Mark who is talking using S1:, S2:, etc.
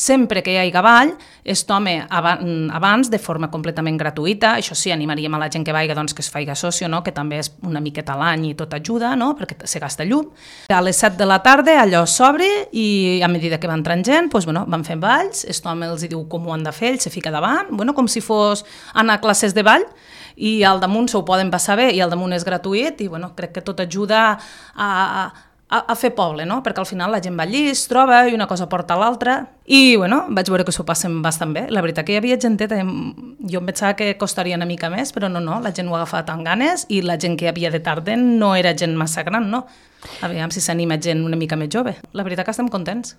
S1: sempre que hi hagi ball, es tome abans de forma completament gratuïta. Això sí, animaríem a la gent que vaiga doncs, que es faci socio, no? Que també és una miqueta a l'any i tot ajuda, no? Perquè se gasta llum. A les 7 de la tarda allò s'obre i a mesura que va entrant gent doncs, van fent balls, el home els diu com ho han de fer, ell se fica davant, com si fos anar a classes de ball, i al damunt s'ho poden passar bé i al damunt és gratuït i crec que tot ajuda a fer poble, no? Perquè al final la gent va allí, es troba i una cosa porta a l'altra i vaig veure que s'ho passen bastant bé. La veritat que hi havia genteta, jo em pensava que costaria una mica més, però no, la gent ho agafava amb ganes i la gent que hi havia de tarda no era gent massa gran, no? Aviam si s'anima gent una mica més jove. La veritat que estem contents.